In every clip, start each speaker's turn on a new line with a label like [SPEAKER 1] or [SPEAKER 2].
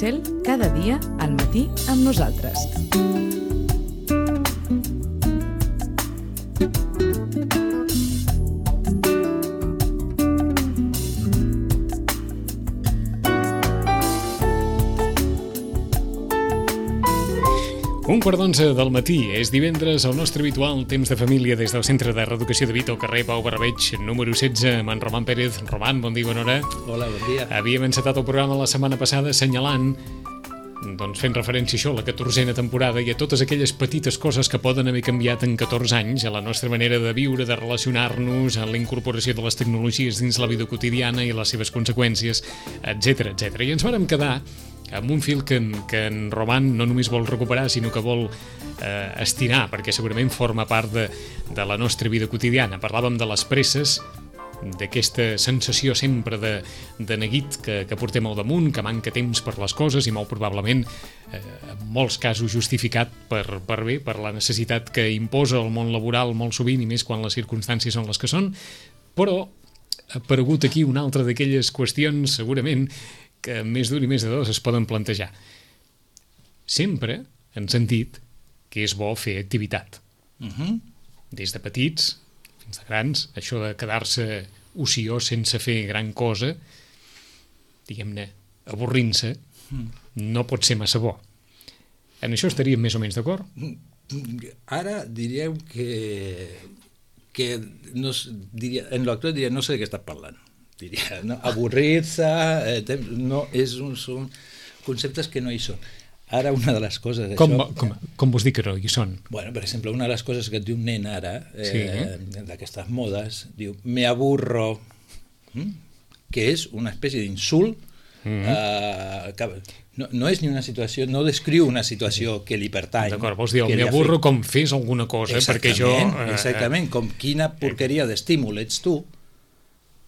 [SPEAKER 1] Cel, cada dia al matí amb nosaltres.
[SPEAKER 2] Un quart d'11 del matí, és divendres, el nostre habitual temps de família des del Centre de Reeducació de Vita, al carrer Pau Barbeig, número 16, amb en Roman Pérez. Roman, bon dia, bona hora.
[SPEAKER 3] Hola, bon dia.
[SPEAKER 2] Havíem encetat el programa la setmana passada assenyalant, doncs fent referència a això, a la 14a temporada i a totes aquelles petites coses que poden haver canviat en 14 anys, a la nostra manera de viure, de relacionar-nos, a la incorporació de les tecnologies dins la vida quotidiana i les seves conseqüències, etc etc. I ens vàrem quedar amb un fil que en Roman no només vol recuperar, sinó que vol estirar, perquè segurament forma part de la nostra vida quotidiana. Parlàvem de les presses, d'aquesta sensació sempre de neguit que portem al damunt, que manca temps per les coses i molt probablement, en molts casos justificat per la necessitat que imposa el món laboral molt sovint i més quan les circumstàncies són les que són, però ha aparegut aquí una altra d'aquelles qüestions segurament que més d'un i més de dos es poden plantejar. Sempre hem sentit que és bo fer activitat. Des de petits fins a grans, això de quedar-se ociós sense fer gran cosa, diguem-ne, avorrint-se, no pot ser massa bo. En això estaríem més o menys d'acord?
[SPEAKER 3] Ara diríem que no, diria, en l'actual diria no sé de què estàs parlant. Diria, no? Avorrir-se, no, són conceptes que no hi són. Ara una de les coses...
[SPEAKER 2] Com vols dir que no hi són?
[SPEAKER 3] Bueno, per exemple, una de les coses que et diu un nen ara, d'aquestes modes, diu, me aburro, que és una espècie d'insult, no és ni una situació, no descriu una situació que li pertany.
[SPEAKER 2] D'acord, vols dir, me aburro com fes alguna cosa, perquè jo...
[SPEAKER 3] Exactament, com quina porqueria d'estímul ets tu,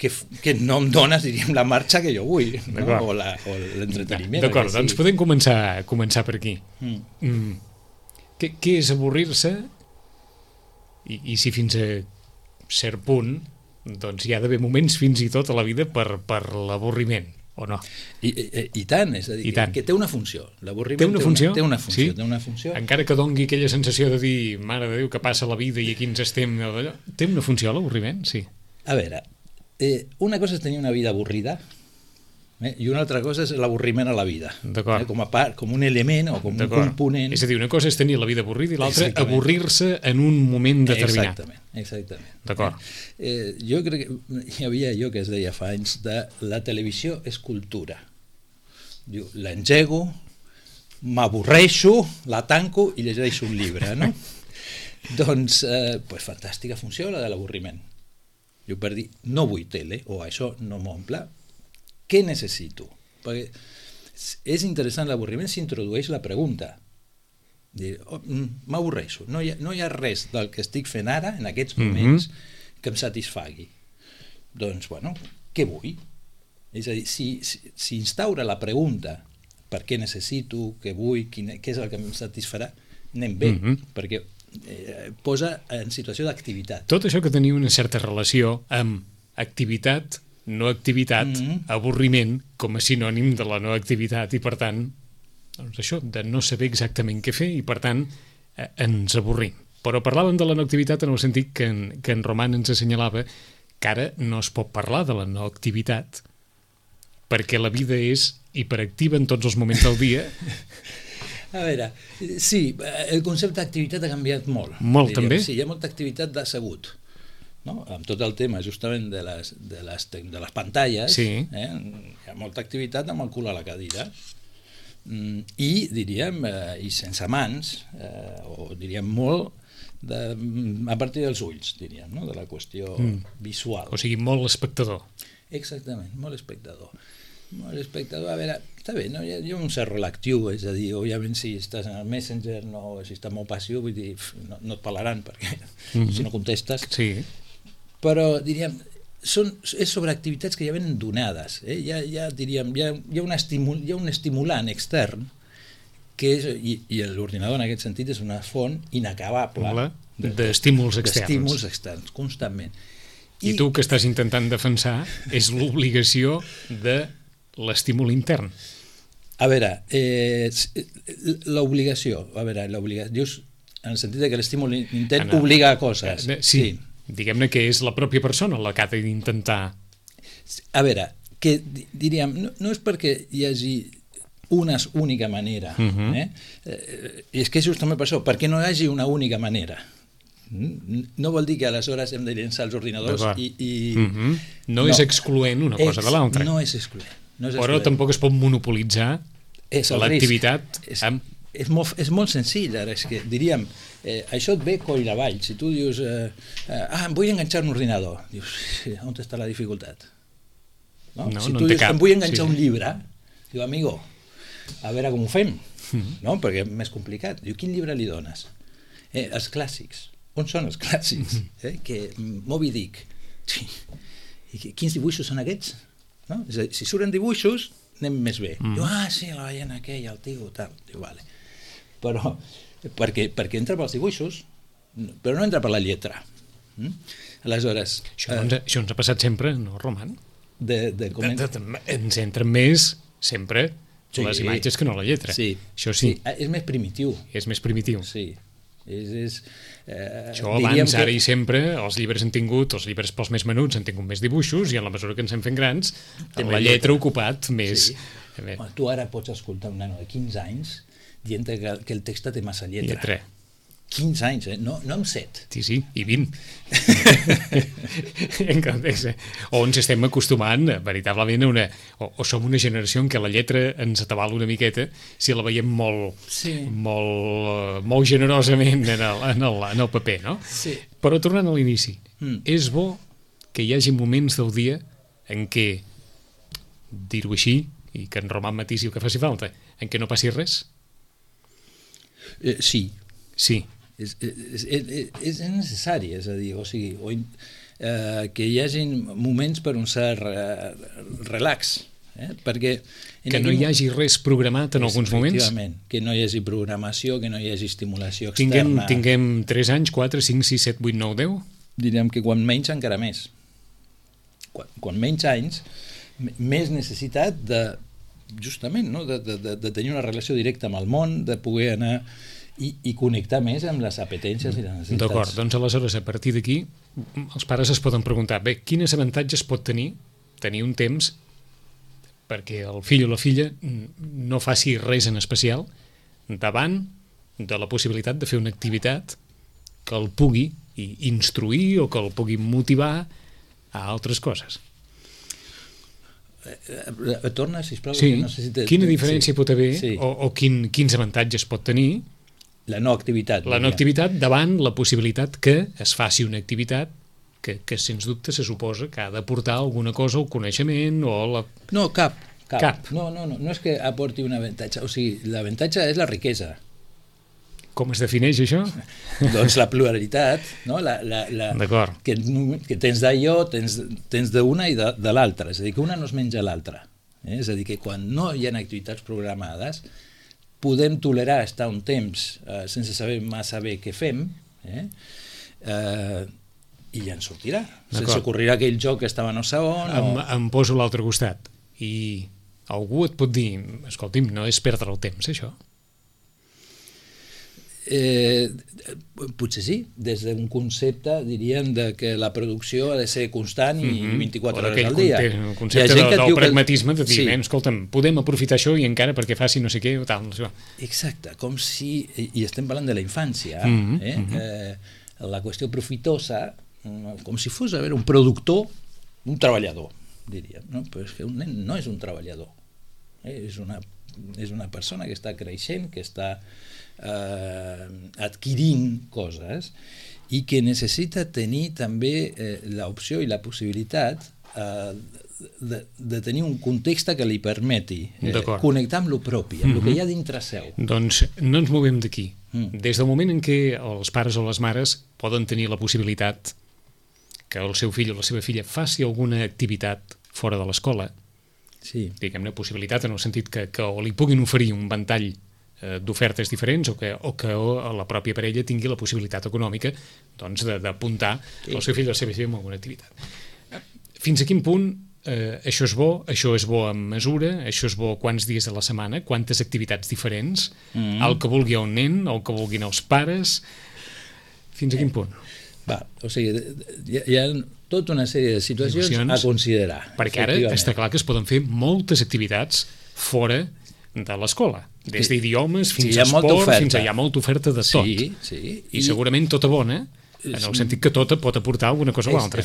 [SPEAKER 3] que no em dones, diríem, la marxa que jo vull, no? o l'entreteniment.
[SPEAKER 2] D'acord, doncs podem començar per aquí. Què és avorrir-se? I si fins a cert punt doncs hi ha d'haver moments fins i tot a la vida per l'avorriment, o no?
[SPEAKER 3] I tant, és a dir, que té una funció. L'avorriment té una funció.
[SPEAKER 2] Encara que dongui aquella sensació de dir, mare de Déu, que passa la vida i aquí ens estem... Té una funció l'avorriment? Sí.
[SPEAKER 3] A veure, una cosa és tenir una vida avorrida i una altra cosa és l'avorriment a la vida, com un element o com un component.
[SPEAKER 2] És a dir, una cosa és tenir la vida avorrida i l'altra avorrir-se en un moment determinat.
[SPEAKER 3] Exactament.
[SPEAKER 2] D'acord.
[SPEAKER 3] Jo crec que hi havia allò que es deia fa anys de la televisió és cultura. Diu, l'engego, m'avorreixo, la tanco i llegeixo un llibre, no? Doncs, fantàstica funció la de l'avorriment. Jo per dir, no vull tele, o això no m'omple, què necessito? Perquè és interessant, l'avorriment s'introdueix la pregunta. M'avorreixo, no hi ha res del que estic fent ara, en aquests moments, que em satisfagui. Doncs, bueno, què vull? És a dir, si instaura la pregunta per què necessito, què vull, què és el que em satisfarà, anem bé, perquè posa en situació d'activitat.
[SPEAKER 2] Tot això que tenia una certa relació amb activitat, no activitat, avorriment com a sinònim de la no activitat i per tant, doncs això, de no saber exactament què fer i per tant ens avorrim. Però parlàvem de la no activitat en el sentit que en Roman ens assenyalava que ara no es pot parlar de la no activitat perquè la vida és hiperactiva en tots els moments del dia.
[SPEAKER 3] A veure, sí, el concepte d'activitat ha canviat molt.
[SPEAKER 2] Molt, també?
[SPEAKER 3] Sí, hi ha molta activitat d'assegut, no? Amb tot el tema justament de les pantalles, hi ha molta activitat amb el cul a la cadira i diríem, i sense mans, o diríem molt a partir dels ulls, diríem, no? De la qüestió visual.
[SPEAKER 2] O sigui, molt espectador.
[SPEAKER 3] Exactament, molt espectador. Molt espectador, a veure, està bé, no? Hi ha un cert reactiu, és a dir, òbviament si estàs en el Messenger, si estàs molt passiu, vull dir, no et parlaran perquè si no contestes, però diríem, és sobre activitats que ja venen donades, diríem, hi ha un estimulant extern que és, i l'ordinador en aquest sentit és una font inacabable
[SPEAKER 2] d'estímuls externs.
[SPEAKER 3] D'estímuls externs, constantment.
[SPEAKER 2] I tu que estàs intentant defensar és l'obligació de l'estímul intern.
[SPEAKER 3] A veure, l'obligació, dius en el sentit que l'estímul intent obliga a coses.
[SPEAKER 2] Sí, diguem-ne que és la pròpia persona la que ha d'intentar.
[SPEAKER 3] A veure, que diríem, no és perquè hi hagi una única manera, és que és justament per això, perquè no hi hagi una única manera. No vol dir que aleshores hem de llençar els ordinadors i...
[SPEAKER 2] No és excloent una cosa de l'altra.
[SPEAKER 3] No és excloent.
[SPEAKER 2] Però tampoc es pot monopolitzar l'activitat.
[SPEAKER 3] És molt senzill, ara, és que diríem, això et ve coll avall. Si tu dius, em vull enganxar un ordinador, dius, on està la dificultat? Si tu dius, em vull enganxar un llibre, diu, amigo, a veure com ho fem, perquè és més complicat. Diu, quin llibre li dones? Els clàssics. On són els clàssics? Moby Dick. I quins dibuixos són aquests? És a dir, si surten dibuixos, anem més bé. Diu, sí, la ballena aquella, el tigre, tal. Diu, vale. Però, perquè entra pels dibuixos, però no entra per la lletra. Aleshores...
[SPEAKER 2] Això ens ha passat sempre, no, Roman? Ens entren més, sempre, les imatges que no la lletra.
[SPEAKER 3] Sí.
[SPEAKER 2] Això sí.
[SPEAKER 3] És més primitiu.
[SPEAKER 2] És més primitiu.
[SPEAKER 3] Sí.
[SPEAKER 2] Això abans, ara i sempre, els llibres els llibres pels més menuts han tingut més dibuixos i en la mesura que ens hem fent grans la lletra ha ocupat més.
[SPEAKER 3] Tu ara pots escoltar un nano de 15 anys dient que el text té massa lletra. 15 anys, no amb 7.
[SPEAKER 2] Sí, i 20. O ens estem acostumant veritablement o som una generació en què la lletra ens atabala una miqueta si la veiem molt generosament en el paper, no?
[SPEAKER 3] Sí.
[SPEAKER 2] Però tornant a l'inici, és bo que hi hagi moments del dia en què, dir-ho així, i que en Roman matisi el que faci falta, en què no passi res?
[SPEAKER 3] Sí. És necessari, és a dir, que hi hagi moments per un cert relax, perquè...
[SPEAKER 2] Que no hi hagi res programat en alguns moments?
[SPEAKER 3] Efectivament, que no hi hagi programació, que no hi hagi estimulació externa.
[SPEAKER 2] Tinguem 3 anys, 4, 5, 6, 7, 8, 9, 10?
[SPEAKER 3] Diríem que quan menys encara més. Quan menys anys, més necessitat de, justament, de tenir una relació directa amb el món, de poder anar... I connectar més amb les apetències i les necessitats.
[SPEAKER 2] D'acord, doncs aleshores a partir d'aquí els pares es poden preguntar, quines avantatges pot tenir un temps perquè el fill o la filla no faci res en especial davant de la possibilitat de fer una activitat que el pugui instruir o que el pugui motivar a altres coses.
[SPEAKER 3] Torna, sisplau.
[SPEAKER 2] Sí, quina diferència pot haver o quins avantatges pot tenir
[SPEAKER 3] la no activitat
[SPEAKER 2] davant la possibilitat que es faci una activitat que sens dubte se suposa que ha d'aportar alguna cosa al coneixement o a la...
[SPEAKER 3] No, cap. No és que aporti un avantatge, o sigui, l'avantatge és la riquesa.
[SPEAKER 2] Com es defineix això?
[SPEAKER 3] Doncs la pluralitat, no?
[SPEAKER 2] D'acord.
[SPEAKER 3] Que tens d'allò, tens d'una i de l'altra, és a dir, que una no es menja l'altra. És a dir, que quan no hi ha activitats programades podem tolerar estar un temps sense saber massa bé què fem i ja ens sortirà. Se'ns ocorrirà aquell joc que estava no sé on...
[SPEAKER 2] Em poso a l'altre costat i algú et pot dir, escolti'm, no és perdre el temps, això?
[SPEAKER 3] Potser sí, des d'un concepte diríem que la producció ha de ser constant i 24 hores al dia.
[SPEAKER 2] El concepte del pragmatisme de dir, escolta'm, podem aprofitar això i encara perquè faci no sé què o tal.
[SPEAKER 3] Exacte, com si, i estem parlant de la infància, la qüestió profitosa, com si fos un productor, un treballador, diríem, no? Però és que un nen no és un treballador, és una persona que està creixent, que està adquirint coses i que necessita tenir també l'opció i la possibilitat de tenir un context que li permeti connectar amb el propi, amb el que hi ha dintre seu.
[SPEAKER 2] Doncs no ens movem d'aquí. Des del moment en què els pares o les mares poden tenir la possibilitat que el seu fill o la seva filla faci alguna activitat fora de l'escola, diguem-ne possibilitat en el sentit que li puguin oferir un ventall d'ofertes diferents o que la pròpia parella tingui la possibilitat econòmica d'apuntar el seu fill o la seva filla en alguna activitat. Fins a quin punt això és bo en mesura, això és bo quants dies de la setmana, quantes activitats diferents, el que vulgui un nen, el que vulguin els pares, fins a quin punt?
[SPEAKER 3] O sigui, hi ha tota una sèrie de situacions a considerar.
[SPEAKER 2] Perquè ara està clar que es poden fer moltes activitats fora de l'escola, des d'idiomes fins a esport, fins a hi ha molta oferta de tot.
[SPEAKER 3] Sí.
[SPEAKER 2] I segurament tota bona, en el sentit que tota pot aportar alguna cosa o l'altra.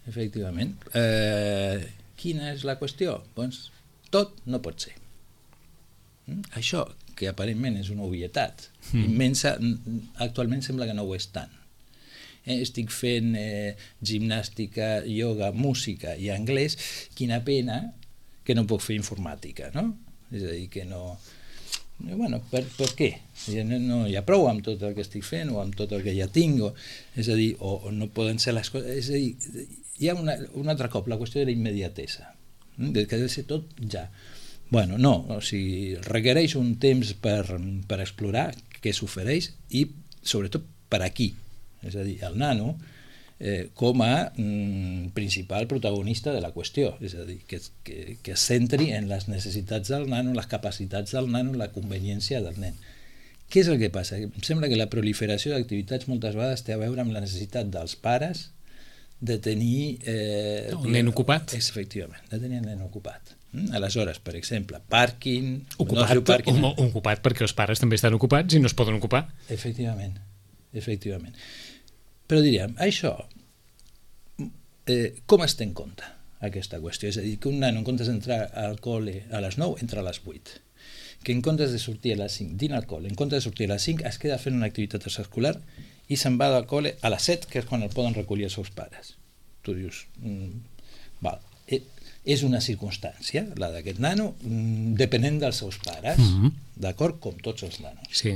[SPEAKER 3] Efectivament. Quina és la qüestió? Doncs tot no pot ser. Això, que aparentment és una obvietat immensa, actualment sembla que no ho és tant. Estic fent gimnàstica, ioga, música i anglès, quina pena que no puc fer informàtica, no? És a dir, que no... Bueno, per què? No hi ha prou amb tot el que estic fent o amb tot el que ja tinc, és a dir, o no poden ser les coses... És a dir, hi ha un altre cop, la qüestió de la immediatesa, que ha de ser tot ja. Bueno, no, o sigui, requereix un temps per explorar què s'ofereix i, sobretot, per aquí. És a dir, el nano com a principal protagonista de la qüestió, és a dir, que es centri en les necessitats del nano, les capacitats del nano, la conveniència del nen. Què és el que passa? Em sembla que la proliferació d'activitats moltes vegades té a veure amb la necessitat dels pares de tenir...
[SPEAKER 2] el nen ocupat.
[SPEAKER 3] Efectivament, de tenir el nen ocupat. Aleshores, per exemple, pàrquing...
[SPEAKER 2] Ocupat perquè els pares també estan ocupats i no es poden ocupar.
[SPEAKER 3] Efectivament. Però diríem, això, com es té en compte aquesta qüestió? És a dir, que un nano en comptes d'entrar al col·le a les 9 entra a les 8, que en comptes de sortir a les 5 dina al col·le, en comptes de sortir a les 5 es queda fent una activitat extraescolar i se'n va del col·le a les 7, que és quan el poden recollir els seus pares. Tu dius, val, és una circumstància, la d'aquest nano, depenent dels seus pares, d'acord? Com tots els nanos.
[SPEAKER 2] Sí,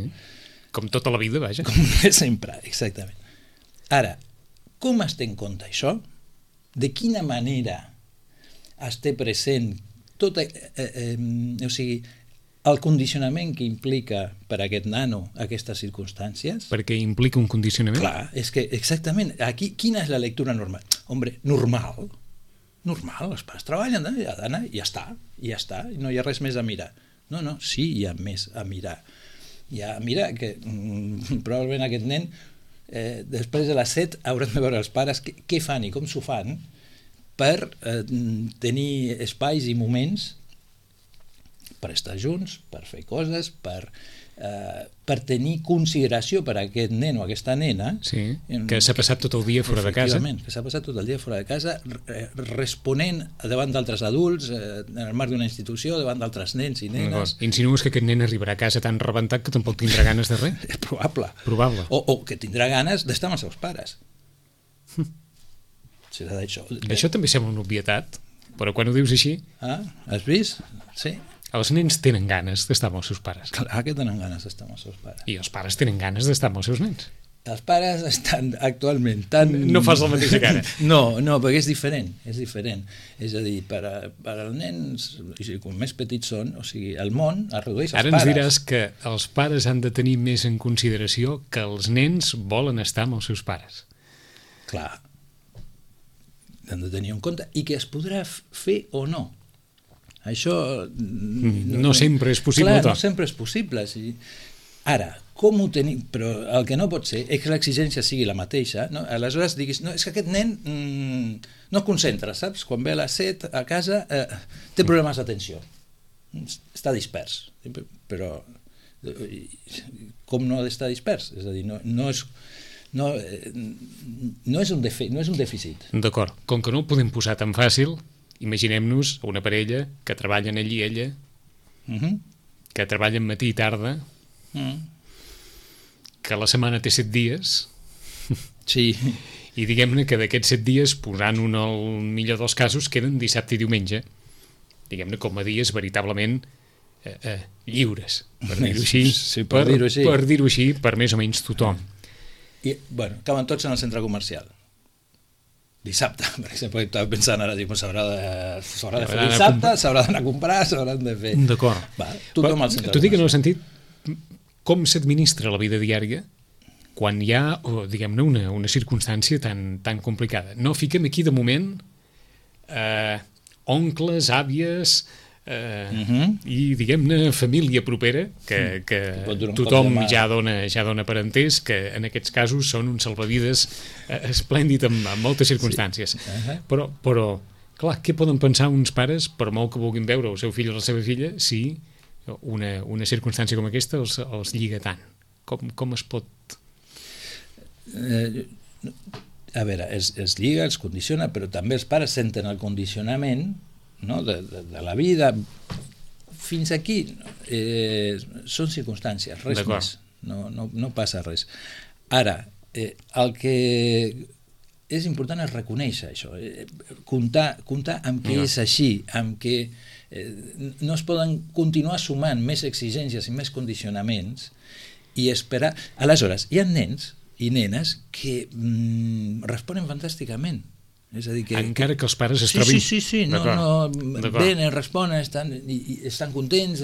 [SPEAKER 2] com tota la vida, vaja.
[SPEAKER 3] Com sempre, exactament. Ara, com es té en compte això? De quina manera es té present tot, o sigui, el condicionament que implica per a aquest nano aquestes circumstàncies?
[SPEAKER 2] Perquè implica un condicionament?
[SPEAKER 3] Clar, és que exactament, aquí quina és la lectura normal? Hombre, normal, els pares treballen, ha d'anar, i ja està, i no hi ha res més a mirar. No, sí, hi ha més a mirar. Mira que probablement aquest nen després de les 7 hauran de veure els pares què fan i com s'ho fan per tenir espais i moments per estar junts, per fer coses, per tenir consideració per a aquest nen o aquesta nena.
[SPEAKER 2] Sí, que s'ha passat tot el dia fora de casa.
[SPEAKER 3] Efectivament, que s'ha passat tot el dia fora de casa responent davant d'altres adults, en el marc d'una institució, davant d'altres nens i nenes.
[SPEAKER 2] Insinues que aquest nen arribarà a casa tan rebentat que tampoc tindrà ganes de res?
[SPEAKER 3] És probable.
[SPEAKER 2] O
[SPEAKER 3] que tindrà ganes d'estar amb els seus pares. Serà d'això.
[SPEAKER 2] Això també sembla una obvietat, però quan ho dius així...
[SPEAKER 3] Has vist? Sí.
[SPEAKER 2] Els nens tenen ganes d'estar amb els seus pares.
[SPEAKER 3] Clar que tenen ganes d'estar amb els seus pares.
[SPEAKER 2] I els pares tenen ganes d'estar amb els seus nens.
[SPEAKER 3] Els pares estan actualment tan...
[SPEAKER 2] No fas la mateixa cara.
[SPEAKER 3] No, perquè és diferent. És a dir, per als nens, com més petits són, o sigui, el món es redueix als pares.
[SPEAKER 2] Ara ens diràs que els pares han de tenir més en consideració que els nens volen estar amb els seus pares.
[SPEAKER 3] Clar. Han de tenir en compte i que es podrà fer o no. Això...
[SPEAKER 2] No sempre és possible.
[SPEAKER 3] Clar, no sempre és possible. Sí. Ara, com ho tenim? Però el que no pot ser és que l'exigència sigui la mateixa. No? Aleshores diguis, no, és que aquest nen no es concentra, saps? Quan ve a les 7 a casa té problemes d'atenció. Està dispers. Però com no ha d'estar dispers? És a dir, no és un dèficit.
[SPEAKER 2] D'acord. Com que no ho podem posar tan fàcil, imaginem-nos una parella que treballen ell i ella, que treballen matí i tarda, que la setmana té 7 dies,
[SPEAKER 3] sí.
[SPEAKER 2] I diguem-ne que d'aquests 7 dies, posant-un al millor dels casos, queden dissabte i diumenge, diguem-ne com a dies veritablement lliures, per dir-ho així,
[SPEAKER 3] sí,
[SPEAKER 2] per dir-ho així, per més o menys tothom.
[SPEAKER 3] I, bueno, acaben tots en el centre comercial. Dissabte, per exemple, estava pensant ara, s'haurà de fer dissabte, s'haurà d'anar a comprar, s'hauran de fer...
[SPEAKER 2] D'acord.
[SPEAKER 3] Tothom al centre.
[SPEAKER 2] T'ho dic en el sentit, com s'administra la vida diària quan hi ha, diguem-ne, una circumstància tan complicada. No fiquem aquí de moment oncles, àvies... i diguem-ne família propera que tothom ja dona per entès que en aquests casos són un salvavides esplèndid en moltes circumstàncies. Però clar, què poden pensar uns pares per molt que vulguin veure el seu fill o la seva filla si una circumstància com aquesta els lliga tant? Com es pot...
[SPEAKER 3] A veure, es lliga, els condiciona, però també els pares senten el condicionament, no? de la vida. Fins aquí són circumstàncies, res més, no passa res. Ara, el que és important és reconèixer això, comptar amb què és així, amb què no es poden continuar sumant més exigències i més condicionaments i esperar. Aleshores, hi ha nens i nenes que responen fantàsticament. És a dir,
[SPEAKER 2] encara que els pares es trobin...
[SPEAKER 3] Sí, venen, responen, estan contents,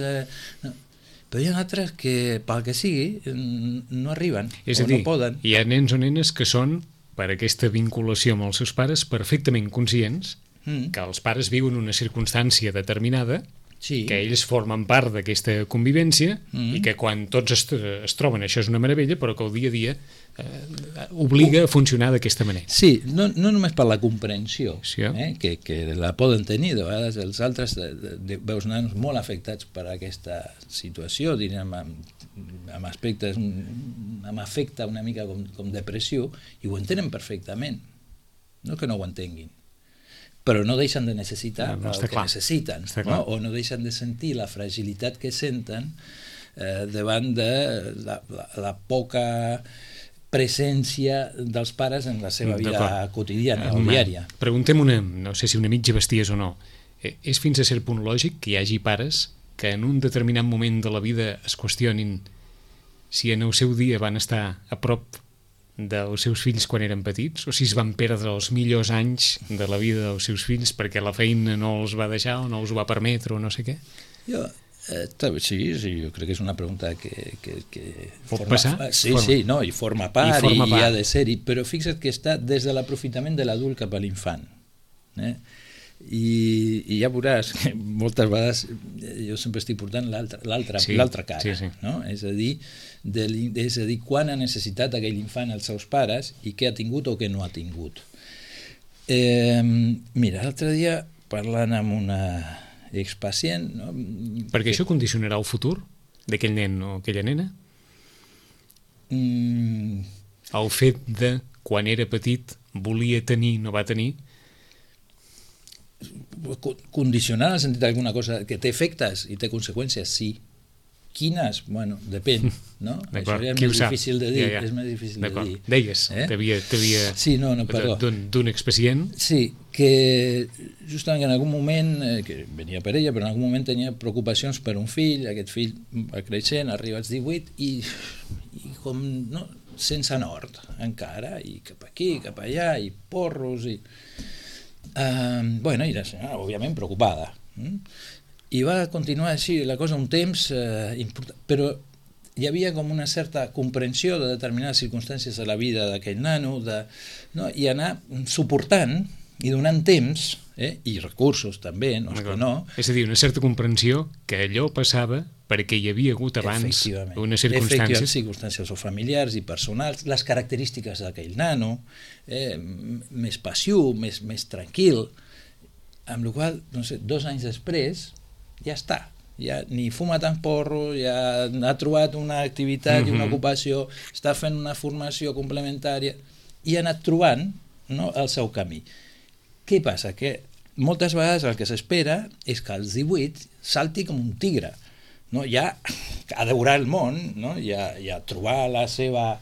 [SPEAKER 3] però hi ha altres que, pel que sigui, no arriben o no poden.
[SPEAKER 2] Hi ha nens o nenes que són, per aquesta vinculació amb els seus pares, perfectament conscients que els pares viuen una circumstància determinada, que ells formen part d'aquesta convivència i que quan tots es troben això és una meravella, però que el dia a dia obliga a funcionar d'aquesta manera.
[SPEAKER 3] Sí, no només per la comprensió, que la poden tenir, de vegades els altres veus nanos molt afectats per aquesta situació, diríem, amb aspectes, amb afecte una mica com depressió, i ho entenen perfectament, no que no ho entenguin, però no deixen de necessitar el que necessiten, o no deixen de sentir la fragilitat que senten davant de la poca presència dels pares en la seva vida quotidiana o diària.
[SPEAKER 2] Preguntem no sé si una mitja bestiesa o no. És fins a cert punt lògic que hi hagi pares que en un determinat moment de la vida es qüestionin si en el seu dia van estar a prop dels seus fills quan eren petits, o si es van perdre els millors anys de la vida dels seus fills perquè la feina no els va deixar o no els va permetre o no sé què?
[SPEAKER 3] Sí, jo crec que és una pregunta que
[SPEAKER 2] pot passar?
[SPEAKER 3] Sí, i forma part i ha de ser-hi, però fixa't que està des de l'aprofitament de l'adult cap a l'infant. I ja veuràs que moltes vegades jo sempre estic portant l'altra cara, no? És a dir, quan ha necessitat aquell infant els seus pares i què ha tingut o què no ha tingut. Mira, l'altre dia parlant amb una expacient...
[SPEAKER 2] Perquè això condicionarà el futur d'aquell nen o aquella nena? El fet de quan era petit volia tenir, no va tenir?
[SPEAKER 3] Condicionar en el sentit d'alguna cosa que té efectes i té conseqüències, sí. Quines? Bueno, depèn, no? Això és més difícil de dir. És més difícil de dir.
[SPEAKER 2] Deies, t'havia d'un expacient.
[SPEAKER 3] Sí, que justament en algun moment, que venia per ella, però en algun moment tenia preocupacions per un fill, aquest fill va creixent, arriba als 18 i com sense nord encara, i cap aquí, cap allà, i porros, i... i la senyora, òbviament, preocupada. I va continuar així la cosa un temps important, però hi havia com una certa comprensió de determinades circumstàncies de la vida d'aquell nano, i anar suportant i donant temps, i recursos també, no és que no.
[SPEAKER 2] És a dir, una certa comprensió que allò passava perquè hi havia hagut abans unes circumstàncies.
[SPEAKER 3] Circumstàncies o familiars i personals, les característiques d'aquell nano, més passiu, més tranquil, amb la qual cosa, 2 anys després, ja està. Ja ni fuma tant porro, ja ha trobat una activitat i una ocupació, està fent una formació complementària i ha anat trobant el seu camí. Què passa? Que moltes vegades el que s'espera és que als 18 salti com un tigre, ja a devorar el món, ja trobar la seva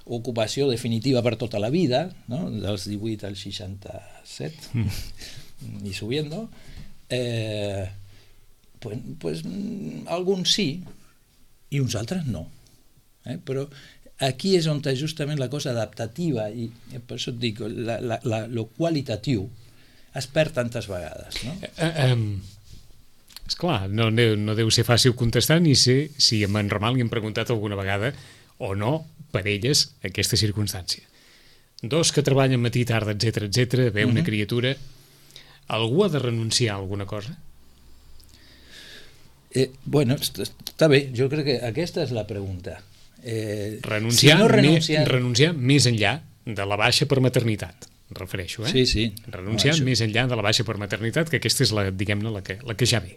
[SPEAKER 3] ocupació definitiva per tota la vida, dels 18 als 67 i subiendo, pues alguns sí i uns altres no, però aquí és on justament la cosa adaptativa i per això et dic, lo qualitatiu es perd tantes vegades, no?
[SPEAKER 2] Esclar, no deu ser fàcil contestar ni sé si en Ramal li han preguntat alguna vegada o no per elles aquesta circumstància. 2 que treballen matí, tarda, etc, ve una criatura, Algú ha de renunciar a alguna cosa?
[SPEAKER 3] Bueno, està bé, jo crec que aquesta és la pregunta.
[SPEAKER 2] Renunciar, renunciar més enllà de la baixa per maternitat, refereixo,
[SPEAKER 3] Sí.
[SPEAKER 2] Renunciar més enllà de la baixa per maternitat, que aquesta és diguem-ne, la que ja ve.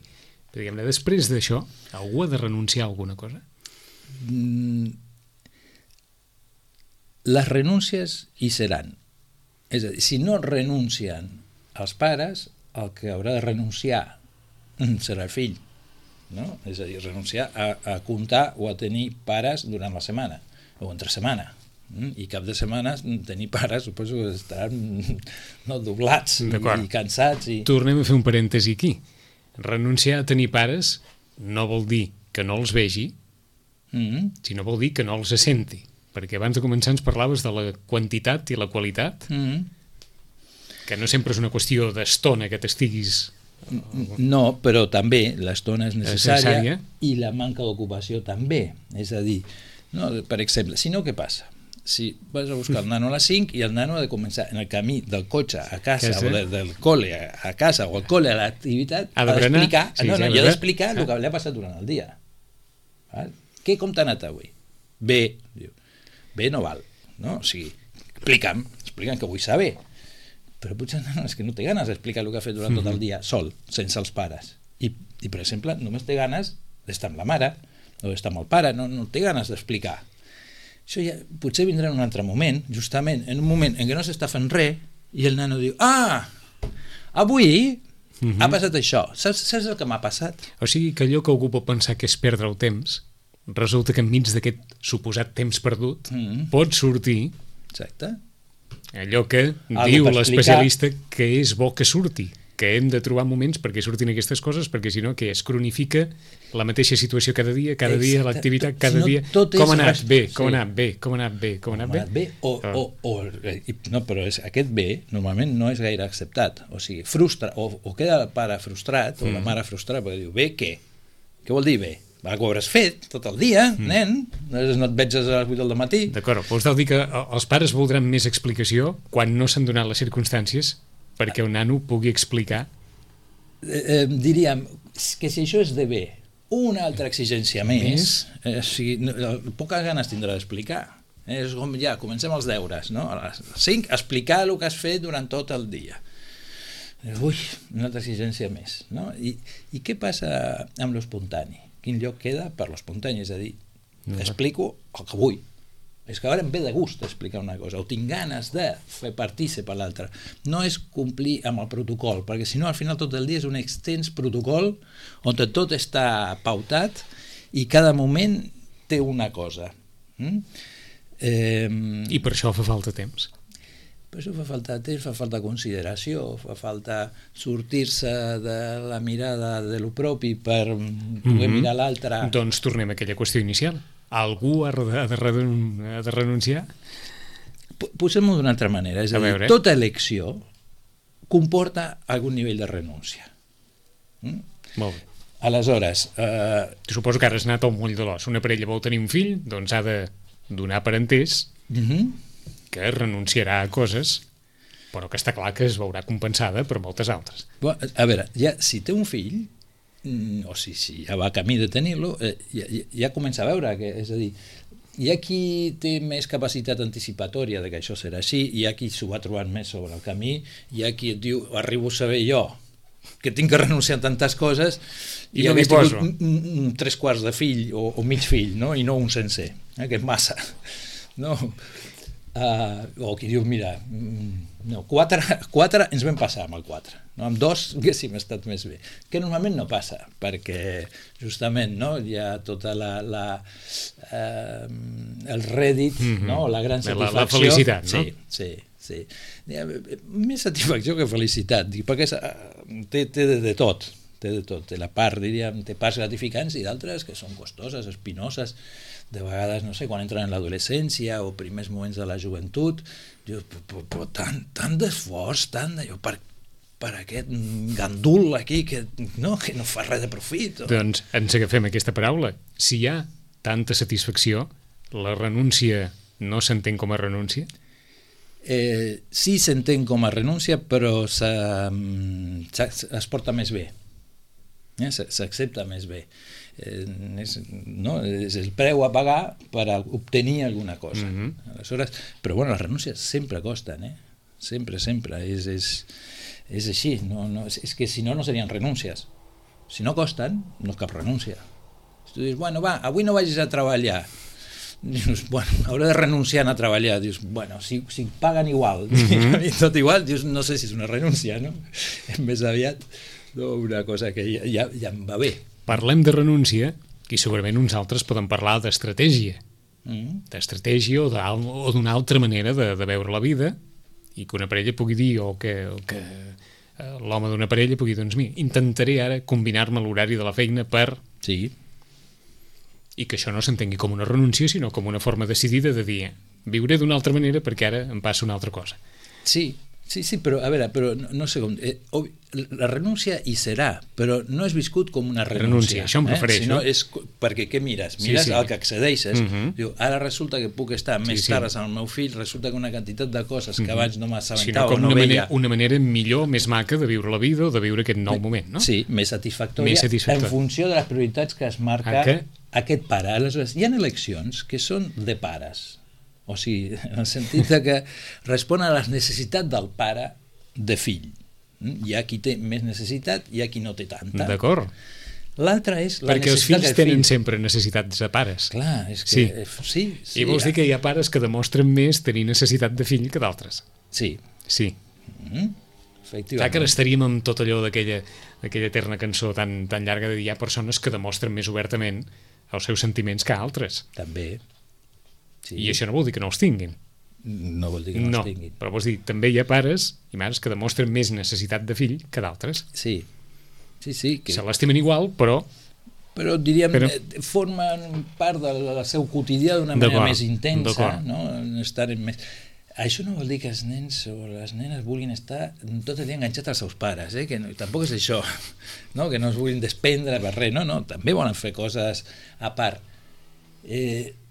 [SPEAKER 2] Però, diguem-ne, després d'això, algú ha de renunciar a alguna cosa?
[SPEAKER 3] Les renúncies hi seran. És a dir, si no renuncien els pares, el que haurà de renunciar serà el fill. No? És a dir, renunciar a comptar o a tenir pares durant la setmana o entre setmana, i cap de setmana tenir pares suposo que estaran doblats i cansats
[SPEAKER 2] Tornem a fer un parèntesi aquí. Renunciar a tenir pares no vol dir que no els vegi, sinó vol dir que no els senti, perquè abans de començar ens parlaves de la quantitat i la qualitat, que no sempre és una qüestió d'estona que t'estiguis.
[SPEAKER 3] No, però també l'estona és necessària i la manca d'ocupació també. És a dir, no, per exemple, si no, què passa? Si vas a buscar el nano a les 5 i el nano ha de començar en el camí del cotxe a casa o del col·le a casa o el col·le a l'activitat, ha d'explicar el que li ha passat durant el dia. Com t'ha anat avui? Bé. Bé no val. O sigui, explica'm que vull saber. Però potser és que no té ganes d'explicar el que ha fet durant tot el dia sol, sense els pares. I per exemple, només té ganes d'estar amb la mare o d'estar amb el pare, no té ganes d'explicar. Això ja potser vindrà en un altre moment, justament en un moment en què no s'està fent res i el nano diu, avui ha passat això, saps el que m'ha passat?
[SPEAKER 2] O sigui que allò que algú pot pensar que és perdre el temps, resulta que enmig d'aquest suposat temps perdut pot sortir allò que diu l'especialista que és bo que surti, que hem de trobar moments perquè surtin aquestes coses, perquè si no que es cronifica la mateixa situació cada dia l'activitat cada dia, com ha anat bé, com ha anat bé.
[SPEAKER 3] No, però aquest bé normalment no és gaire acceptat, o sigui, frustra, o queda el pare frustrat o la mare frustrada, perquè diu, bé què? Què vol dir bé? Va, que ho hauràs fet tot el dia, nen, no et veig a les 8 del matí.
[SPEAKER 2] D'acord, vols dir que els pares voldran més explicació quan no s'han donat les circumstàncies perquè un nano pugui explicar?
[SPEAKER 3] Diríem que si això és de bé, una altra exigència més, poques ganes tindrà d'explicar. És com ja, comencem els deures, no? A les 5, explicar el que has fet durant tot el dia. Ui, una altra exigència més, no? I què passa amb l'espontani? Quin lloc queda per l'espontani? És a dir, explico el que vull. És que ara em ve de gust explicar una cosa, o tinc ganes de fer partícip a l'altre. No és complir amb el protocol, perquè si no al final tot el dia és un extens protocol on tot està pautat i cada moment té una cosa.
[SPEAKER 2] I per això fa falta temps.
[SPEAKER 3] Per això fa falta temps, fa falta consideració, fa falta sortir-se de la mirada de lo propi per poder mirar l'altre.
[SPEAKER 2] Doncs tornem a aquella qüestió inicial. Algú ha de renunciar?
[SPEAKER 3] Posem-ho d'una altra manera, és a dir, tota elecció comporta algun nivell de renúncia.
[SPEAKER 2] Molt bé.
[SPEAKER 3] Aleshores...
[SPEAKER 2] Suposo que ara has anat al moll de l'os. Una parella vol tenir un fill, doncs ha de donar per entès que renunciarà a coses, però que està clar que es veurà compensada per moltes altres.
[SPEAKER 3] A veure, ja, si té un fill, o si ja va camí de tenir-lo, ja comença a veure que, és a dir, hi ha qui té més capacitat anticipatòria de que això serà així, hi ha qui s'ho va trobant més sobre el camí, hi ha qui et diu, arribo a saber jo que tinc que renunciar a tantes coses
[SPEAKER 2] i no m'hi poso.
[SPEAKER 3] 3/4 de fill o mig fill, no? I no un sencer, que és massa, no? O qui diu, mira, 4 ens vam passar amb el 4, no? Amb 2 haguéssim estat més bé, que normalment no passa, perquè justament hi ha tota el rèdit, la gran satisfacció,
[SPEAKER 2] la felicitat, no?
[SPEAKER 3] Sí. Més satisfacció que felicitat, perquè té de tot, té la part, diríem, té parts gratificants i d'altres que són costoses, espinoses. De vegades, no sé, quan entren en l'adolescència o primers moments de la joventut, dius, però tant d'esforç, tant d'allò, per aquest gandul aquí que no fa res de profit.
[SPEAKER 2] Doncs ens agafem aquesta paraula. Si hi ha tanta satisfacció, la renúncia no s'entén com a renúncia?
[SPEAKER 3] sí s'entén com a renúncia, però es porta més bé, s'accepta més bé. No? És el preu a pagar per obtenir alguna cosa. Aleshores, però bueno, les renúncies sempre costen, sempre, és així, és que si no serien renúncies. Si no costen, no és cap renúncia. Si tu dius, bueno, va, avui no vagis a treballar, dius, bueno, hauré de renunciar a treballar, dius, bueno, si paguen igual, tot igual, dius, no sé si és una renúncia, no? Més aviat una cosa que ja em va bé.
[SPEAKER 2] Parlem de renúncia i segurament uns altres poden parlar d'estratègia, d'estratègia o d'una altra manera de veure la vida, i que una parella pugui dir, o que l'home d'una parella pugui dir, doncs mira, intentaré ara combinar-me l'horari de la feina per...
[SPEAKER 3] Sí.
[SPEAKER 2] I que això no s'entengui com una renúncia, sinó com una forma decidida de dir, viuré d'una altra manera perquè ara em passa una altra cosa.
[SPEAKER 3] Sí, però a veure, però no sé com... la renúncia hi serà, però no és viscut com una renúncia.
[SPEAKER 2] Això em refereixo.
[SPEAKER 3] Sinó és perquè què mires? Mires al que accedeixes. Diu, ara resulta que puc estar més tardes amb el meu fill, resulta que una quantitat de coses que abans no m'assabentava o no veia...
[SPEAKER 2] Una manera millor, més maca de viure la vida o de viure aquest nou moment, no?
[SPEAKER 3] Sí, més satisfactòria en funció de les prioritats que es marca aquest pare. Aleshores, hi ha eleccions que són de pares. O sigui, en el sentit que respon a les necessitats del pare de fill. Hi ha qui té més necessitat, hi ha qui no té tanta.
[SPEAKER 2] D'acord.
[SPEAKER 3] L'altra és la
[SPEAKER 2] perquè
[SPEAKER 3] necessitat
[SPEAKER 2] els fills tenen sempre necessitats de pares.
[SPEAKER 3] Clar, és que... Sí.
[SPEAKER 2] I vols dir que hi ha pares que demostren més tenir necessitat de fill que d'altres?
[SPEAKER 3] Sí. Efectivament.
[SPEAKER 2] Clar que estaríem amb tot allò d'aquella eterna cançó tan llarga de dir hi ha persones que demostren més obertament els seus sentiments que altres.
[SPEAKER 3] També. Sí.
[SPEAKER 2] I això no vol dir que no els tinguin.
[SPEAKER 3] No vol dir que no els tinguin.
[SPEAKER 2] Però vols dir, també hi ha pares i mares que demostren més necessitat de fill que d'altres.
[SPEAKER 3] Sí. Que...
[SPEAKER 2] se l'estimen igual, però
[SPEAKER 3] diríem, formen part del seu quotidià d'una manera més intensa, no? Estar més... Això no vol dir que els nens o les nenes vulguin estar tot el dia enganxats als seus pares, que tampoc és això, no? Que no es vulguin desprendre per res, no, també volen fer coses a part.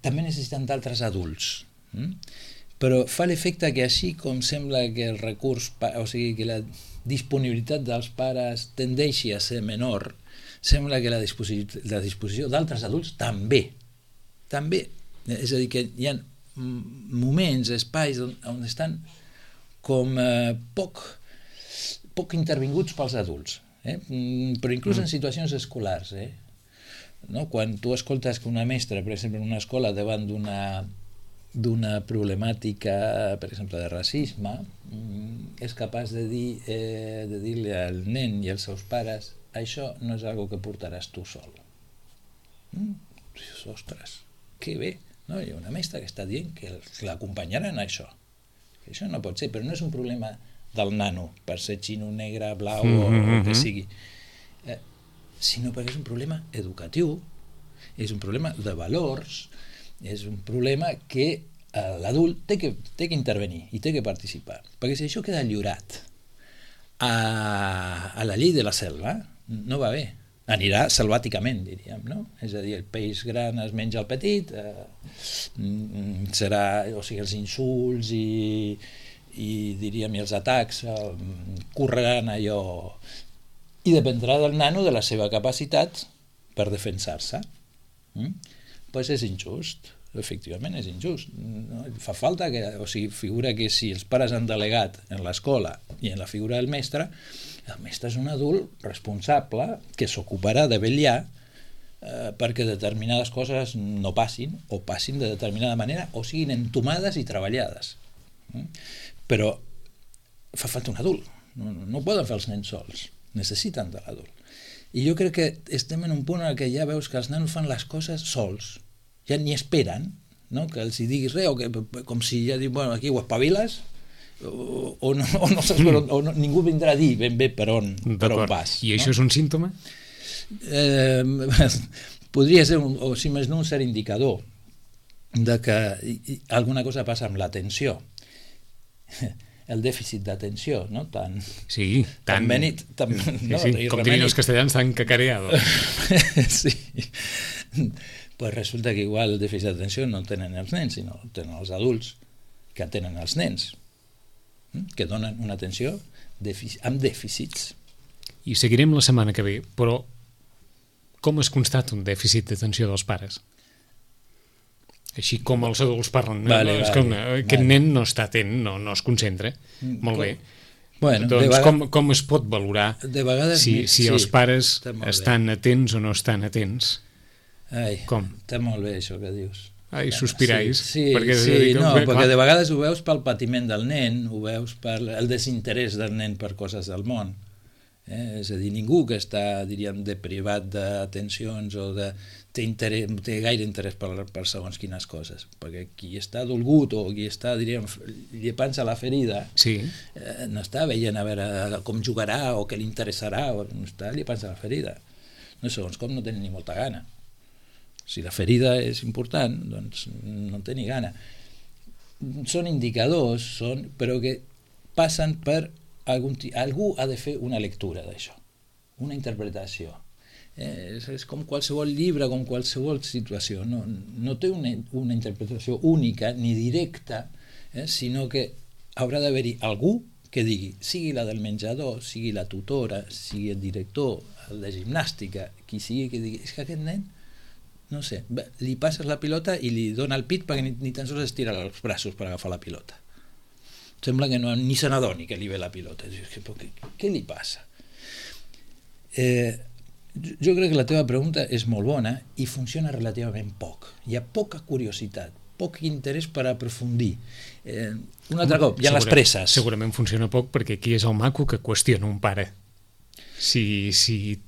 [SPEAKER 3] També necessiten d'altres adults, però fa l'efecte que així com sembla que el recurs, o sigui que la disponibilitat dels pares tendeixi a ser menor, sembla que la disposició d'altres adults també, és a dir, que hi ha moments, espais on estan com poc intervinguts pels adults, però inclús en situacions escolars, no? Quan tu escoltes que una mestra, per exemple, en una escola davant d'una problemàtica, per exemple, de racisme, és capaç de dir-li al nen i als seus pares, això no és algo que portaràs tu sol. Ostres, que bé, no? Hi ha una mestra que està dient que l'acompanyaran en això. Això no pot ser, però no és un problema del nano, per ser xino, negre, blau o el que sigui, sinó perquè és un problema educatiu, és un problema de valors, és un problema que l'adult té que intervenir i té que participar, perquè si això queda lliurat a la llei de la selva, no va bé, anirà selvàticament, diríem, no? És a dir, el peix gran es menja el petit, serà, o sigui, els insults i diríem, i els atacs correran allò, i dependrà del nano de la seva capacitat per defensar-se. Doncs és injust, efectivament és injust. Fa falta que, o sigui, figura que si els pares han delegat en l'escola i en la figura del mestre, el mestre és un adult responsable que s'ocuparà de vetllar perquè determinades coses no passin o passin de determinada manera o siguin entomades i treballades. Però fa falta un adult, no poden fer els nens sols, necessiten de l'adult. I jo crec que estem en un punt en què ja veus que els nanos fan les coses sols, ja ni esperen, no? Que els hi diguis res, o que, com si ja diu, bueno, aquí ho espaviles, o no saps per on, o no, ningú vindrà a dir ben bé per on vas.
[SPEAKER 2] I això és un símptoma?
[SPEAKER 3] Podria ser, o si més no, un cert indicador de que alguna cosa passa amb l'atenció. El dèficit d'atenció, no?
[SPEAKER 2] Sí, tan
[SPEAKER 3] benit,
[SPEAKER 2] no? Sí, com dirien els castellans, tan cacareado.
[SPEAKER 3] Sí. Pues resulta que igual el dèficit d'atenció no tenen els nens, sinó tenen els adults que tenen els nens. que donen una atenció amb dèficits.
[SPEAKER 2] I seguirem la setmana que ve, però com es constata un dèficit d'atenció dels pares? Així com els adults parlen. Aquest nen no està atent, no es concentra. Molt bé.
[SPEAKER 3] Bueno,
[SPEAKER 2] doncs com es pot valorar si els pares estan atents o no estan atents? Com?
[SPEAKER 3] Està molt bé això que dius.
[SPEAKER 2] Ai, sospirais.
[SPEAKER 3] Perquè de vegades ho veus pel patiment del nen, ho veus pel desinterès del nen per coses del món. És a dir, ningú que està, diríem, deprivat d'atencions o té gaire interès per segons quines coses, perquè qui està dolgut o qui està, diríem, llepant-se a la ferida, no està veient a veure com jugarà o què li interessarà, no està llepant-se a la ferida. No, segons com no té ni molta gana. Si la ferida és important, doncs no té ni gana. Són indicadors, però que passen per algú ha de fer una lectura d'això, una interpretació. És com qualsevol llibre, com qualsevol situació. No té una interpretació única ni directa, sinó que haurà d'haver-hi algú que digui, sigui la del menjador, sigui la tutora, sigui el director, el de gimnàstica, qui sigui que digui, és que aquest nen, no sé, li passes la pilota i li dona el pit perquè ni tan sols estira els braços per agafar la pilota. Sembla que ni se n'adoni que li ve la pilota. Què li passa? Jo crec que la teva pregunta és molt bona i funciona relativament poc. Hi ha poca curiositat, poc interès per aprofundir. Un altre cop, hi ha les presses.
[SPEAKER 2] Segurament funciona poc perquè aquí és el maco que qüestiona un pare si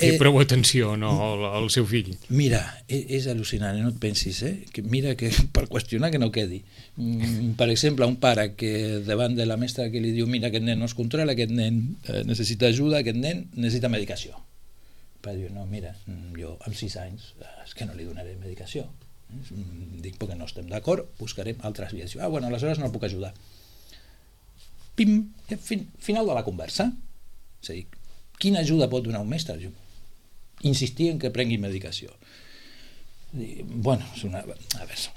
[SPEAKER 2] té prou atenció o no al seu fill.
[SPEAKER 3] Mira, és al·lucinant, no et pensis, que mira que per qüestionar que no quedi. Per exemple, un pare que davant de la mestra que li diu, mira, aquest nen no es controla, aquest nen necessita ajuda, aquest nen necessita medicació. El pare diu, no, mira, jo amb 6 anys és que no li donaré medicació. Dic, perquè no estem d'acord, buscarem altres vies. Bueno, aleshores no el puc ajudar. Pim, final de la conversa. És a dir, quina ajuda pot donar un mestre? Insistir en que prengui medicació. Bueno, són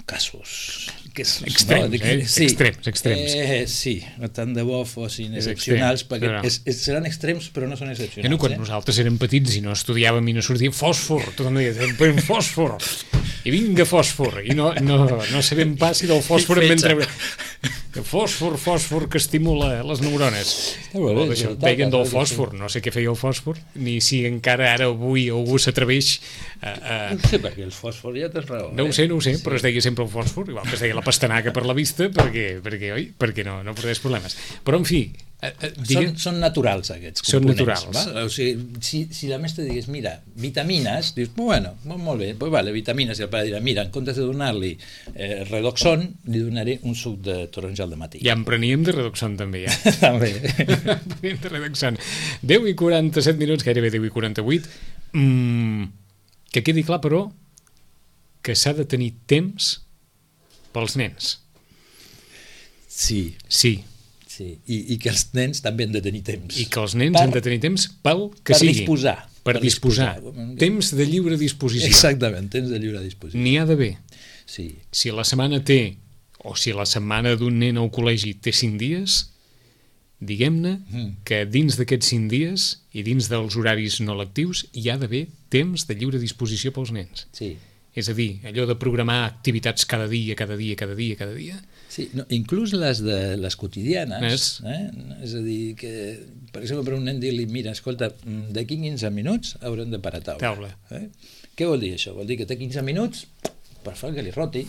[SPEAKER 3] casos
[SPEAKER 2] extrems, extrems.
[SPEAKER 3] Sí, tant de bo fossin excepcionals, perquè seran extrems però no són excepcionals.
[SPEAKER 2] Quan nosaltres érem petits i no estudiàvem i no sortia fòsfor, tothom deia, pren fòsfor, i vinga fòsfor, i no sabem pas si del fòsfor en vam treure. Fòsfor que estimula les neurones. Veien del fòsfor, no sé què feia el fòsfor, ni si encara ara avui algú s'atreveix
[SPEAKER 3] no sé perquè el fòsfor ja tens raó.
[SPEAKER 2] No ho sé, però es deia sempre el fòsfor, igual que es deia la pastanaga per la vista, perquè no portés problemes. Però, en fi...
[SPEAKER 3] Són naturals, aquests components.
[SPEAKER 2] Són naturals.
[SPEAKER 3] O sigui, si la mestra digués, mira, vitamines, dius, bueno, molt bé, vitamines, i el pare dirà, mira, en comptes de donar-li Redoxon, li donaré un suc de taronja al dematí.
[SPEAKER 2] Ja en preníem de Redoxon, també, ja.
[SPEAKER 3] També.
[SPEAKER 2] Preníem de Redoxon. 10:47, gairebé 10:48. Que quedi clar, però, que s'ha de tenir temps pels nens.
[SPEAKER 3] Sí. I que els nens també han de tenir temps.
[SPEAKER 2] I que els nens han de tenir temps pel que sigui. Per disposar. Temps de lliure disposició.
[SPEAKER 3] Exactament, temps de lliure disposició.
[SPEAKER 2] N'hi ha d'haver.
[SPEAKER 3] Sí.
[SPEAKER 2] Si la setmana o si la setmana d'un nen al col·legi té 5 dies, diguem-ne que dins d'aquests 5 dies i dins dels horaris no lectius hi ha d'haver temps de lliure disposició pels nens.
[SPEAKER 3] Sí.
[SPEAKER 2] És a dir, allò de programar activitats cada dia.
[SPEAKER 3] Sí, inclús les quotidianes. És a dir, que, per exemple, per un nen dir-li, mira, escolta, d'aquí 15 minuts haurem de parar a taula. Què vol dir això? Vol dir que té 15 minuts per fer que li roti.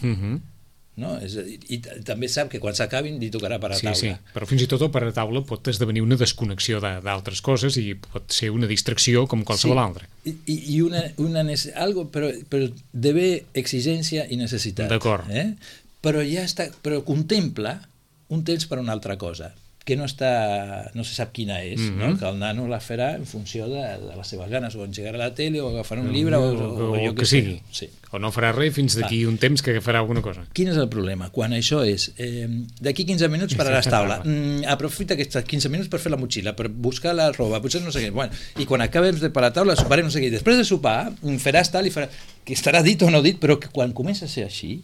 [SPEAKER 3] No? És a dir, i també sap que quan s'acabin li tocarà parar a taula.
[SPEAKER 2] Sí, però fins i tot el parar a taula pot esdevenir una desconnexió d'altres coses i pot ser una distracció com qualsevol altra.
[SPEAKER 3] I algo, però d'haver exigència i necessitat.
[SPEAKER 2] D'acord.
[SPEAKER 3] Però contempla un temps per una altra cosa que no se sap quina és, no? Que el nano la farà en funció de les seves ganes, o engegarà la tele, o agafarà un llibre, o jo que sigui.
[SPEAKER 2] Sí. O no farà res fins d'aquí un temps que farà alguna cosa.
[SPEAKER 3] Quin és el problema? Quan això és d'aquí 15 minuts pararàs taula, aprofita aquests 15 minuts per fer la motxilla, per buscar la roba, potser no sé què, i quan acabem de parar taula soparem no sé què, i després de sopar faràs tal i faràs, que estarà dit o no dit, però que quan comença a ser així,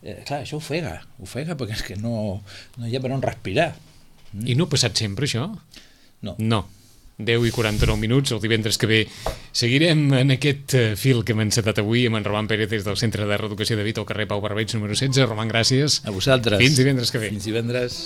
[SPEAKER 3] clar, això ofega perquè és que no hi ha per on respirar.
[SPEAKER 2] I no ha passat sempre, això?
[SPEAKER 3] No.
[SPEAKER 2] No. 10 i 49 minuts, el divendres que ve seguirem en aquest fil que hem encetat avui amb en Roman Pérez des del Centre de Reeducació de Vita al carrer Pau Barbeig número 16. Roman, gràcies.
[SPEAKER 3] A vosaltres.
[SPEAKER 2] Fins divendres que ve.
[SPEAKER 3] Fins divendres.